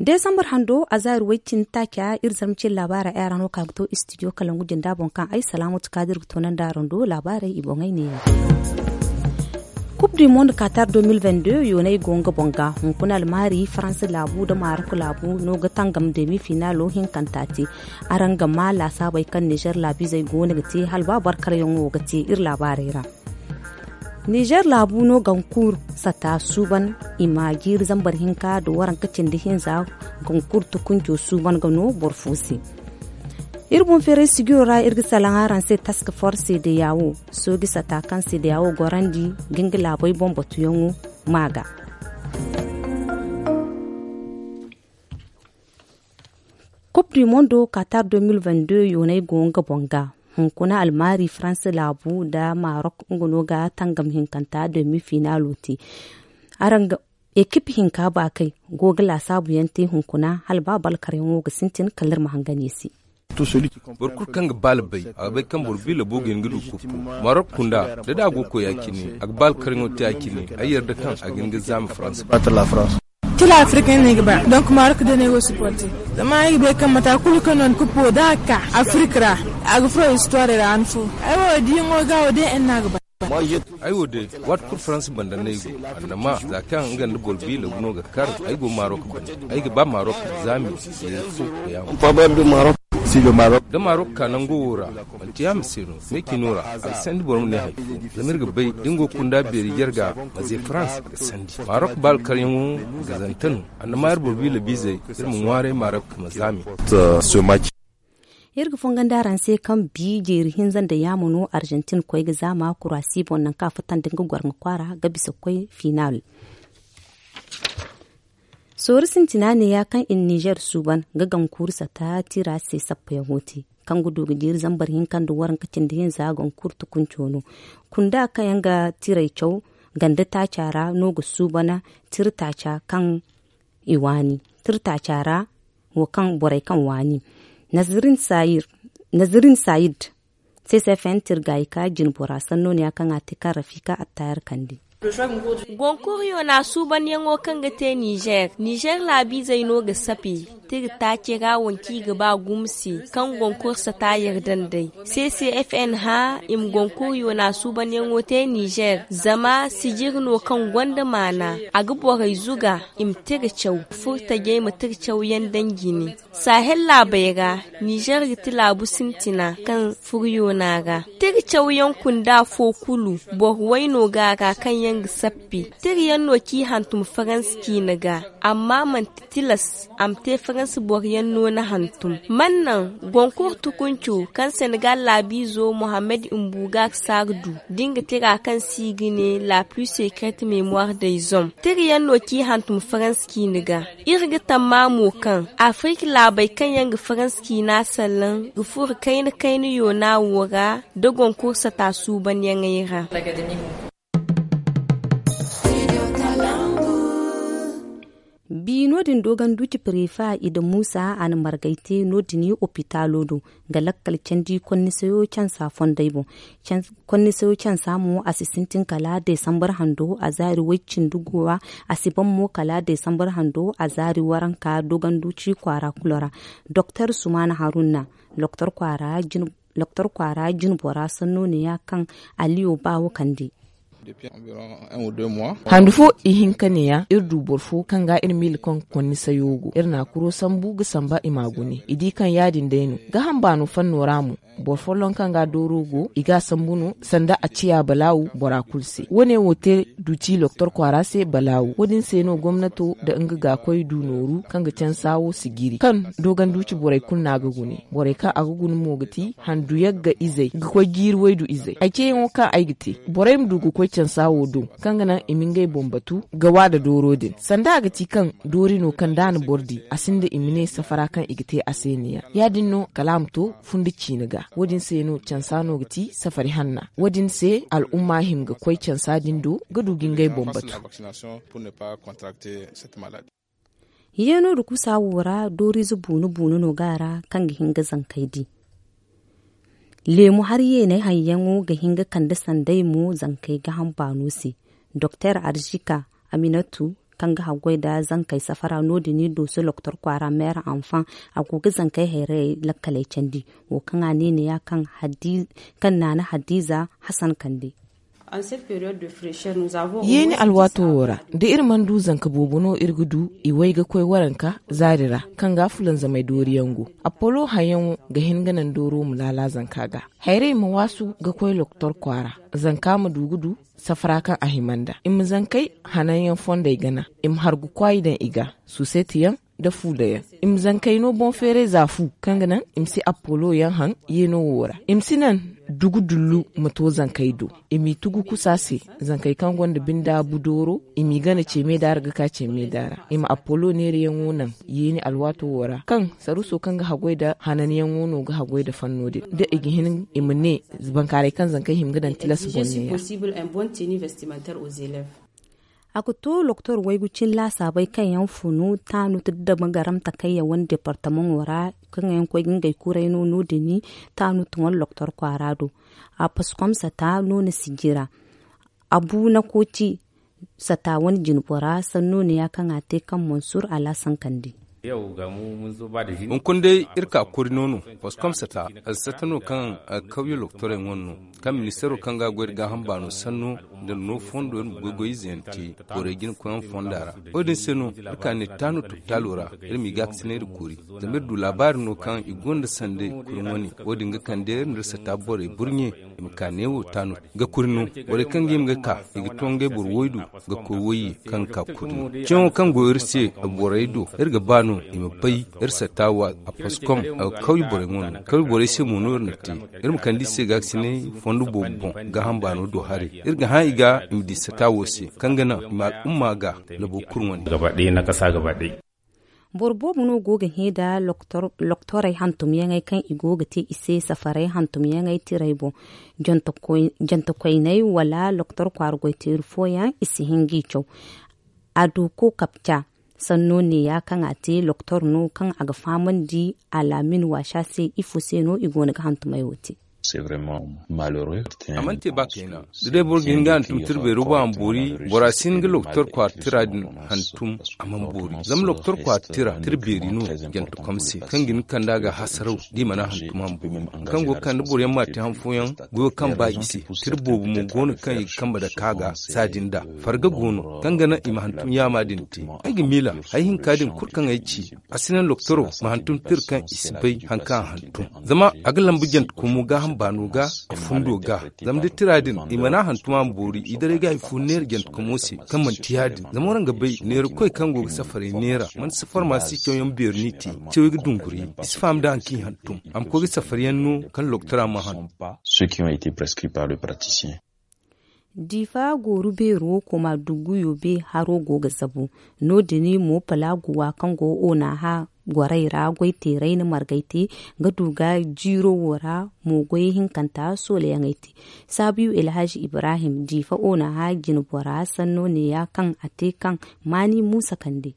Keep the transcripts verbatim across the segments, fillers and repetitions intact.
Desambar hando a zaari way-cindi taaca iri zarma cine laabaarey ay ra no ka ga to istidiyo kalangu jinda boŋ kaŋ ay salaamatu kaadir ga toonandi araŋ do laabaarey i boŋey neeya. Kub du mond katar deux mille vingt-deux yoonay go nga boŋ ga hunkuna almaari faransa laabu nda marok laabu no ga tangam demi finaalo hinkanta te. Araŋ ga maa laasaabey kaŋ nizer laabiizey go no ga te hala ba barkaryaŋo ga te iri laabaarey ra. Nizer laabu no gankuur sata suuban i ma jiiri zambar hinka nda waranka cindi hinza. Gankuur tukunco suuban ga no boro fo se. Iri boŋ feeray sijiro ra iri ga salaŋ araŋ se task force cdao sooji sata kaŋ cdao gorandi ga nga laabey boŋ batuyaŋo ma ga. Kub du mondo katar deux mille vingt-deux yoonay go nga boŋ ga. Hunkuna almaari faransa laabu nda marok nga no ga tangam hinkanta demi finaalo te. Araŋ ga ekip hinka baakey go ga laasaabu yaŋ te hunkuna hala ba balkaryaŋo ga sintin kala iri ma hangan i se. Boro kulu kaŋ ga baala bay a ga bay kaŋ boro biila boobo ga hin ga du kuppu. Marok kunda da da a go ga koy ya-cine a ga baala karyaŋo te ya-cine. Ay yarda kaŋ a ga hin ga zaama faransa. Kila afirka ne ga ba donk marok da ne go supporte. Zama ay ga bay kaŋ mata kulu kaŋ no ni kuppo da a ga ka afirka ra a ga furo histoire ra han fo. Ay wo diyaŋo ga wo day en no a ga ba. Ay wo day waati kulu faransa banda no ay go annama za kaŋ nga nda boro biila no ga kar. Ay go marok banda ay ga ba marok zaami. Yeeri fo ga yaŋ. Da marok ka nango wo ra manti yaama se no. Me cino ra a ga sandi boro ma ne hari fo. Zama iri ga bay da nga go ga kunda beeri jarga maze faransa ga sandi marok baala karyaŋo. Ga zanta no annama iri boro biila biizey iri ma ŋwaaray marok ma zaami. Iri ga fongandi araŋ se kaŋ bi jeeri hinza nda yaama no arjantin koy ga zaama kuraasi boŋ nangu kaŋ a futandi nga gwarŋa kwaara ga bisa koy finaal. Sooru sintina neeya kaŋ i na nizer suuban ga gankuuru sata tira se sappayaŋo te kaŋ ga du ga jiiri zambar hinka nda waranka cindi hinza gankuuru tukunco no. Kunda kaŋ yaŋ ga tiray caw ganda taaca ra no ga suuban tira taaca kaŋ i waani tira taaca ra wo kaŋ borey kaŋ waani. Nazirin sayid ccfn tirgayka jinbora sanno no ya kaŋ a te kaŋ rafika attayar kande. Gonkur yoona suubanyaŋo kaŋ ga te nizer nizer laabiizey no ga sape tira taace ra wanci i ga ba gumo se kaŋ gonkur sata yardandey. Ccfn hã i ma gonkur yoona suubanyaŋo te nizer zama sijiri no kaŋ gonda maana a ga borey zuga i ma tira caw furtajey ma tira cawyaŋ daŋ jine. Sahel laabey ra nizer ga ti laabu sintina kaŋ furyoona ra. Tira cawyaŋ kunda fo kulu boro way no ga a ra kaŋ yaŋ ga sappi tira yaŋ no kaŋ i hantum faransa ciina ga. Amma manti tilas a ma te faransa boro yaŋ no na hantum. Man naŋ gonkur tukunco kaŋ senegal laabiizo mohammed mbuga saar du da nga tira kaŋ se i ga ne la plus secret memoire des hommes tira yaŋ no kaŋ i hantum faransa ciina ga. Iri ga tamma mo kaŋ afirka laabey kaŋ yaŋ ga faransa ciina sallaŋ ga furo kayna kayna yoona wo ra da gonkur sata suubanyaŋey ra. Bi no- din dogonduci prefa i da muusa a na margay te no- din opitaalo do ga lakkal candi konnisayo cansa fondey boŋ. Konnisayo cansa mo a si sintin kala desambar hando a zaari way- cindi guwa. A si ban mo kala desambar hando a zaari waranka dogonduci kwaara kulu ra. Doktor sumaana haruna loktor kwaara jin loktor kwaara jinbora sanno neeya kaŋ aliyo baawo kande. Handu fo ihinka neeya iri du boro fo kaŋ ga iri miila kaŋ konni sayo go iri na a kuro sambu ga samba i ma a gune i di kaŋ ya- din day no. Gaham baano fanno ra mo boro folloŋ kaŋ ga dooro go i ga a sambu no sanda a ciya balaawu bora kulu se wo- ne wo te duti loktor kwaara se balaawu wo- din se no gomnato nda nga gaakoy du nooru kaŋ ga cansa wo si jiri kaŋ dogonduci borey kulu no a ga gune borey kaŋ a ga guna mo ga ti handu yagga izey ga koy jiiri waydu izey ay ceeyaŋo kaŋ ay ga te borey ma du ga koy cansa wo do kaŋ ga naŋ i ma ngey boŋ batu ga waada dooro din sanda a ga ti kaŋ doori no kaŋ da a na boro di a sinda i ma ne safara kaŋ i ga te a se neeya ya- din no kala a ma to fundi ciina ga wo- din se no cansa no ga ti safari hanna wo- din se al'umma hima ga koy cansa din do ga du ga ngey boŋ batu. Yeeno nda kusa wo ra dooriize buunu buunu no ga a ra kaŋ ga hin ga zankey di. Leemu hari yeeney hayyaŋo ga hin ga kande sanday mo zankey gaaham baano se. Doktor arzika aminatu kaŋ ga haggoy nda zankey safara no- din i dooso loktor kwaara meera anfaŋ. A go ga zankey hayrayey lakkaley candi. Wo kaŋ a ne neeya kaŋ naana hadiiza hasan kande. Yeeni alwaato wo ra, da iri mana du zanka boobo no iri ga du i way ga koy waranka zaari ra, kaŋ ga fulanzamey dooriyaŋ go. Appolo hayyaŋo ga hin ga naŋ dooro ma laala zanka ga. Hayray ma waasu ga koy loktor kwaara, zanka ma du ga du safara kaŋ a hima nd'a. I ma zankey hananyaŋ fondey gana, i ma hargu kwaayi daŋ i ga, suusetiyaŋ nda fuudayaŋ. I ma zankey no boŋ feeray za fu, kaŋ ga naŋ i ma si appolo yaŋ haŋ yeeno wo ra. I ma si naŋ dugu dullu ma to zankey do. I m'i tugu kusa se, zankey kaŋ gonda binda budooro, i m'i gana ceeme daara ga ka ceeme daara. I ma appolo neerayaŋo naŋ yeeni alwaato wo ra, kaŋ saruuso kaŋ ga haggoy nda hananyaŋo no ga haggoy nda fanno din, da i ga hin i ma ne, bankaaray kaŋ zankey hima ga daŋ tilas boŋ neeya. A ga to loktor waygu cin laasaabey kaŋ yaŋ funu taanut nda damagaram takayya wane departamaŋo ra, kaŋ yaŋ koy ga ngey kuray no no- din taanut wane loktor kwaara do. A paskom sata no na sijira. Abu na koci sata wane jinbora sanno neeya kaŋ a te kaŋ mansur alaasan kande. Hunkuna day iri ka kori no no, paskom sata alsata no kaŋ alkawya loktorey wane no, kaŋ ministeero kaŋ ga a goy nda gaaham baano sanno nda no fondo iri ma goy-goy ize yaŋ te borey jina koyyaŋ fonda ra. Wo- din se no iri ka ne taano topitaalo ra, iri m'i gaakasinay nda kori. Zama iri du laabaari no kaŋ i gonda sanda kuri wane. Wo- din ga kande iri nda iri sata borey burɲe i ma ka neewo taano ga kuri no. Borey kaŋ ga hima ga ka, i ga to ngey boro waydu ga koy wayye kaŋ ga ka kuri no. Ceeyaŋo kaŋ go iri se borey do, iri ga ba no i ma bay iri sata wa a paskom a ga kawye borey wane no. Kawye borey se mo no iri na te. Iri ma kande i se gaakasinay fondo boobo boŋ gaaham baano do haray. Iri ga hã i ga i ma di sata wo se, kaŋ ga naŋ i ma al'umma ga labo kulu wane. Boro boobo no go ga hẽ nda loktorey hantumyaŋey kaŋ i go ga te i se safaray hantumyaŋey tiray boŋ. Jantakoyney wala loktor kwaara goyteeri fooyaŋ i si hin g'i caw. A du ko kapca sanno neeya kaŋ a te loktor no kaŋ a ga fahamandi alaamin waasa se ifo se no i go no ga hantumey wo te. A mana te ba kayna da day boro ga hin ga hantum tira beero boŋ a ma boori. Bora si hin ga loktor kwaara tira din hantum a mana boori zama loktor kwaara tira tira beeri no. Jantakom se kaŋ ga hin ga kand'a ga hasaraw da i mana hantum a ma boori. Kaŋ go ga kande boro yaŋ ma te han fooyaŋ goyo kaŋ ba i se. Tira boobo mo go no kaŋ i ga kambe dake a ga saadin da farga go no kaŋ ga naŋ i ma hantum yaama din te. Ay ga miila hari hinka din kulu kaŋ ay ci a si naŋ loktoro ma hantum tira kaŋ i si bay hari kaŋ a hantum. Zama a ga lambu jantakomo gaaham baano ga a fundo ga. Zama da tira din i mana hantum a ma boori i daray ga hari fo neera jantakomo se kaŋ manti ya- din zama waraŋ ga bay neerakoy kaŋ go ga safaray neera manti safar ma si cawyaŋ beeri no i te. Cawey ga dunguri i si faham nda hari kaŋ i hantum a ma koy ga safar yaŋ no kaŋ loktora ma hantum. Diifa gooru beero koma duguyo be haro go ga zabu. No- din mo palaaguwa kaŋ go onaha gorey ra goy teeray na margay te ga du ga jiiro wo ra mo goy hinkanta soolayaŋey te. Saabiyo elhaji ibrahim diifa onaha jinbora sanno neeya kaŋ a te kaŋ maani muusa kande.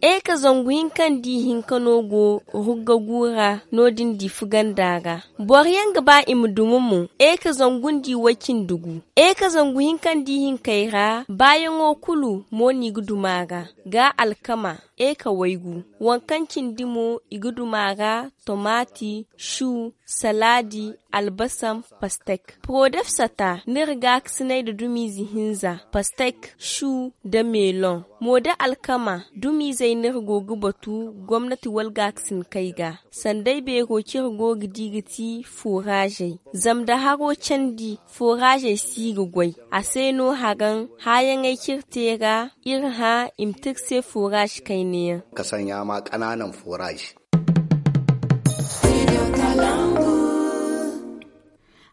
Eka zangu hinka nda ihinka no go rugga guura no- din diifa ganda ra. Boro yaŋ ga ba i ma duma mo eka zangu nda iway cindi gu. Eka zangu hinka nda ihinkey ra baayaŋo kulu mo no i ga duma a ra. Ga alkama eka waygu waŋ kaŋ cindi mo i ga duma a ra. Tomaati, shu, salaadi, albasam, pastek. Porodef sata n'iri gaakasinay nda dumiize hinza pastek, shu, nda meelon. Mo da alkama dumiizey no iri go ga batu gomnati wala gaakasinkey ga. Sanday beero kaŋ iri go ga di ga ti fooraazey. Zama da haro candi fooraazey si ga goy. A se no haraŋ hãayaŋey kaŋ iri te ra iri hã i ma te iri se fooraaze kayna yaŋ. Ka saɲa ma kanaanan fooraaze.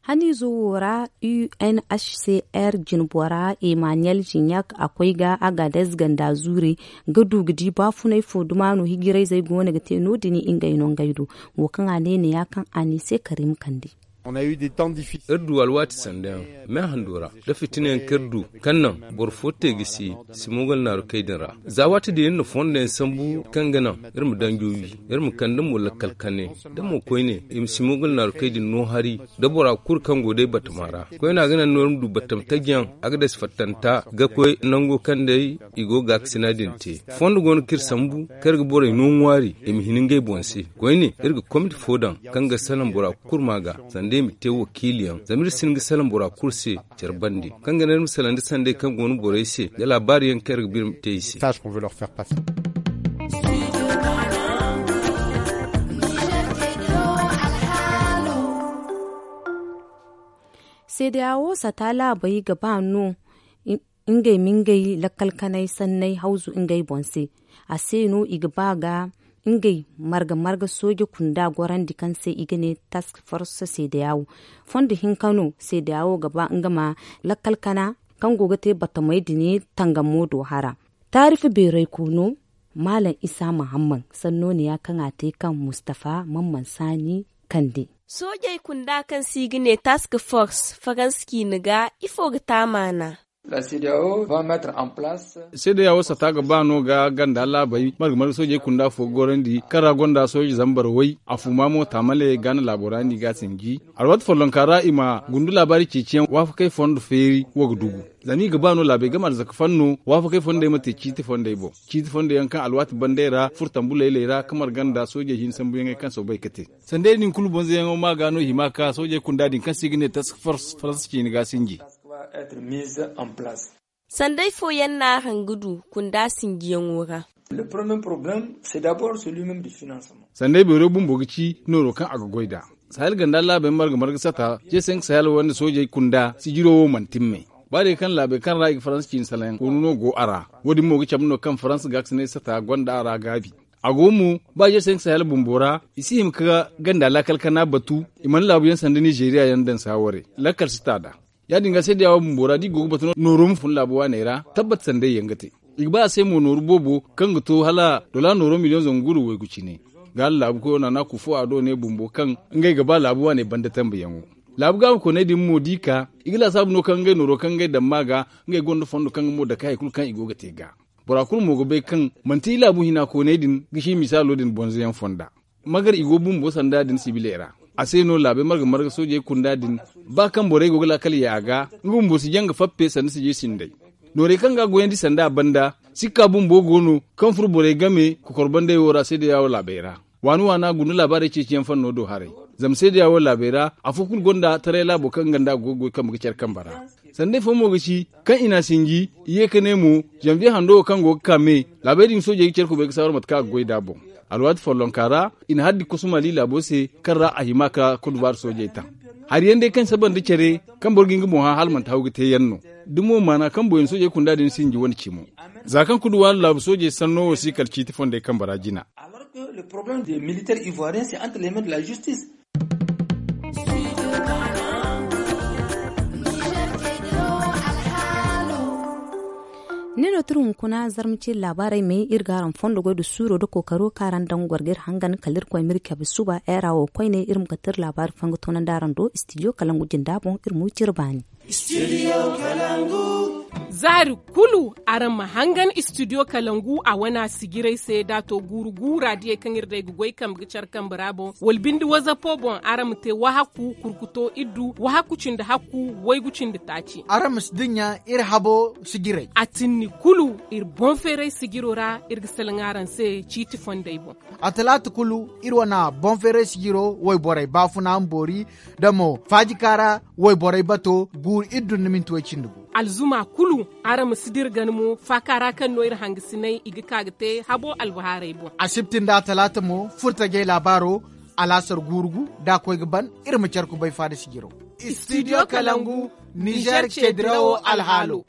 Haniizo wo ra unhcr jinbora emmanuel jignac a koy ga agadez ganda zuure ga du ga di baafunay fo duma no hijirayzey go no ga te no- din ngey no ngey do. Wo kaŋ a ne neeya kaŋ a ne se karim kande. Iri du alwaati sanda yaŋ me hando ra, da fitina yaŋ kaŋ iri du kaŋ naŋ boro fo te ga si simogal naarukey din ra. Za waati din iri na fondo yaŋ sambu kaŋ ga naŋ iri ma danjo wi, iri ma kande mo lakkal kane, da mo koyne i ma simogal naarukey din no hari, da bora kulu kaŋ go day batama ra. Koyne a ga naŋ no iri ma du batama taji yaŋ, a ga dasi fattanta ga koy nango kaŋ day i go ga gaakasina din te. Fondo go no kaŋ iri sambu kaŋ iri ga borey no ŋwaari i ma hin ngey boŋ se. Koyne iri ga komiti fo daŋ kaŋ ga salaŋ bora kulu ma ga sanda i ma te wakiili yaŋ, zama iri si hin ga salaŋ bora kulu se care bande, kaŋ ga naŋ iri ma salaŋ da sanday kaŋ go no borey se, da laabaari yaŋ kaŋ iri ga ba iri ma te i se. Seedeya wo sata laabey ga ba no ngey ma ngey lakkal kanay sanney hawzu ngey boŋ se. A se no i ga ba ga ngey marga marga sooje kunda gorandi kaŋ se i ga ne task force seedeya wo. Fondo hinka no seedeya wo ga ba nga ma lakkal kana kaŋ go ga te batamey dine tangamo do hara. Taarifa beeray koono maalam isa mahamman sanno ne ya kaŋ a te kaŋ mustafa mamman saani kande. Soojey kunda kaŋ se i ga ne task force faransa ciini ga ifo ga te a maana? Seedeya wo sata ga ba no ga ganda laabey marga marga soojey kunda fo ga gorandi kaŋ ra gonda sooje zambar way a fuma mo taamale gaana laabo ra no i ga a sinji. Alwaati follonka ra i ma gundu laabaari ceeciyaŋ waafakey fondo feeri wo ga dugu. Zama i ga ba no laabey game arzaka fanno waafakey fondey ma te ciiti fondey boŋ, ciiti fondey yaŋ kaŋ alwaati bandey ra furtambu layley ra kamar ganda soojey hin sambuyaŋey kaŋ soobay ga te. Sandey din kulu bonzoyaŋo ma ga no hima ka soojey kunda din kaŋ se i ga ne task force faransa ciini ga sinji. Sanday fooyaŋ no araŋ ga du kunda sinjiyaŋo ra? Sanday beero bumbo ga ci nooro kaŋ a ga goy nd'a. Sahel ganda laabey marga marga sata je se nga sahel wande soojey kunda sijiro wo mana timmey. Ba day kaŋ laabey kaŋ ra i ga faransa ciini salaŋ koonu no go a ra. Wo- din mo ga cabe no kaŋ faransa gaakasinay sata gonda a ra gaabi. A go mo ba je se nga sahel bumbo ra i si hima ka ganda laakal kana batu. I mana laabu yaŋ sanda nizeeriya yaŋ daŋ saaware lakkal sata nd'a. Ya- din ga seedeya wo bumbo ra da i go ga batu no nooro ma fun laabu waaney ra tabbat sanday yaŋ ga te. I ga ba a se mo nooru boobo kaŋ ga to hala dola nooro miliyoŋ zangu guuru waygu cine. Ga hala laabu koyo naana kufo a do ne bumbo kaŋ ngey ga ba laabu waaney banda tambayaŋo. Laabu gaaba kooney din mo da i ka i ga laasaabu no kaŋ ngey nooro kaŋ ngey daŋ ma ga ngey gonda fondo kaŋ ga mo dake hari kulu kaŋ i go ga te ga. Bora kulu mo ga bay kaŋ manti i laabu hina kooney din ga si misaalo din bonzoyaŋ fonda. Magar i go bumbo sanda din sibiley ra. A se no laabey marga marga soojey kunda din ba kaŋ borey go ga laakal ye a ga nga bumbo si jaŋ ga fappe sanda sijey sinday. Noorey kaŋ ga a goyandi sanda a banda sikka bumbo go no kaŋ furo borey game kokorbandey wo ra seedeya wo laabey ra. Waani waana guna laabaarey ceeciyaŋ fanno do haray. Zama seedeya wo laabey ra afo kulu gonda taray laabo kaŋ nga nda a go ga goy kambe ga care kambe ra. Sanday fo mo ga ci kaŋ i n'a sinji i ye ka ne mo zanviye hando wo kaŋ go ga ka me. Laabey din soojey ga care kubay ga saawar mate kaŋ a ga goy nd'a boŋ. Alwaati follonka ra i na haddi kosu mali laabo se kaŋ ra a hima ka kudubaari soojey taŋ. Hari yaŋ day kaŋ saba nda care kaŋ boro ga hin ga boŋ hã hala manti haw ga te yaŋ no. Da mo maana kaŋ boyaŋ soojey kunda din sinji wane cimo. Za kaŋ kudubaari laabu soojey sanno wo si kala ciiti fondey kambe ra jina. Ni no tira hunkuna zarma ciri laabaarey me iri ga araŋ fondo goy da suuro da kookaro kaŋ araŋ daŋ goro ga iri hangan kala iri koy ma iri cabe suba era wo koyne iri ma ga tira laabaari fo ga toonandi araŋ do istidiyo kalangu jinda boŋ iri ma wi cire baani. Zaari kulu araŋ ma hangan istidiyo kalangu a wana sijirey se da a to guuru guura diyey kaŋ iri day ga goy kambe ga care kambe ra boŋ wala binde wazapo boŋ araŋ ma te wahakku kurkuto iddu wahakku cindi hakku waygu cindi taaci. Araŋ ma si dinya iri habo sijirey a tinni kulu iri boŋ feeray sijiro ra iri ga salaŋ araŋ se ciiti fondey boŋ. A talaata kulu iri wana boŋ feeray sijiro wayborey baafuna ma boori da mo faajikaara wayborey bato guuru iddu nda minti way cindi gu. Alzuma kulu araŋ ma si dira gana mo faaka ra kaŋ no iri hangasiney i ga ka ga te habo albahaarey boŋ. Asibti nda talaata mo furtajey laabaaro alaasar guuru gu da a koy ga ban iri ma care kubay faada sijiro. Istidiyo kalangu nizer cedirawo alhaalo.